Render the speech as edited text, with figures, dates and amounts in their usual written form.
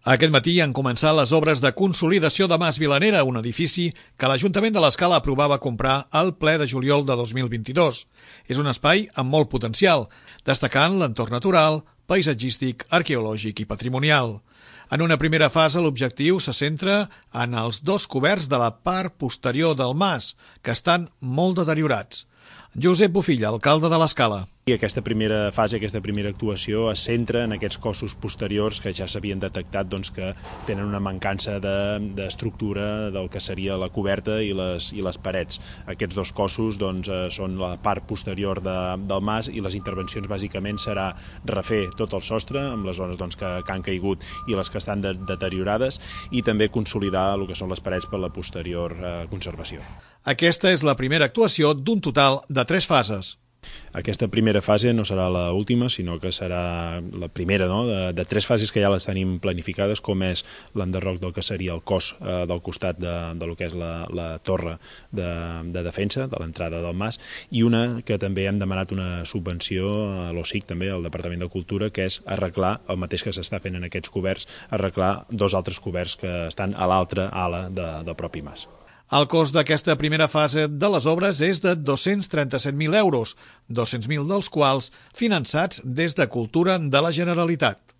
Aquest matí han començat les obres de consolidació de Mas Vilanera, un edifici que l'Ajuntament de l'Escala aprovava comprar al ple de juliol de 2022. És un espai amb molt potencial, destacant l'entorn natural, paisatgístic, arqueològic i patrimonial. En una primera fase, l'objectiu se centra en els dos coberts de la part posterior del mas, que estan molt deteriorats. Josep Bufilla, alcalde de l'Escala. I aquesta primera fase, aquesta primera actuació es centra en aquests cossos posteriors que ja s'havien detectat que tenen una mancança d'estructura del que seria la coberta i les parets. Aquests dos cossos són la part posterior del mas i les intervencions bàsicament serà refer tot el sostre amb les zones que han caigut i les que estan deteriorades i també consolidar el que són les parets per la posterior conservació. Aquesta és la primera actuació d'un total de 3 fases. Aquesta primera fase no serà l'última, sinó que serà la primera de 3 fases que ja les tenim planificades, com és l'enderroc del que seria el cos del costat del que és la torre de defensa, de l'entrada del mas, i una que també hem demanat una subvenció a l'OSIC, també al Departament de Cultura, que és arreglar el mateix que s'està fent en aquests coberts, arreglar 2 altres coberts que estan a l'altra ala del propi mas. El cost d'aquesta primera fase de les obres és de 237.000 euros, 200.000 dels quals finançats des de Cultura de la Generalitat.